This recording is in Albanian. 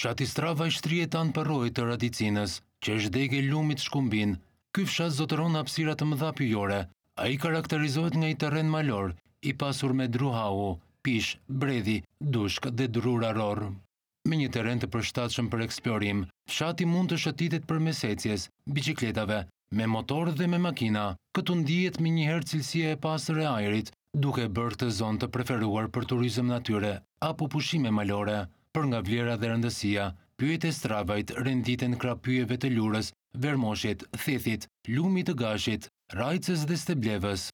Fshati Stravaj shtrihet anë përroit të Radicinës, që është degë e lumit Shkumbin. Ky fshat zotëron hapësira të mëdha pyjore. Ai karakterizohet nga një terren malor, i pasur me dru hau, pishë, bredhi, dushk dhe drurë arrorë. Me një terren të përshtatshëm për eksplorim, fshati mund të shëtitet përmes ecjes, biçikletave, me motor dhe me makina. Këtu ndihet menjëherë cilësia e pastër e ajrit, duke e bërë këtë zonë të preferuar për turizëm natyre apo pushime malore. Për nga vlera dhe rëndësia, pyjet e Stravajt renditen krah pyjeve të Lurës, Vermoshit, Thethit, Lumit të Gashit, Rajcës dhe Steblevës.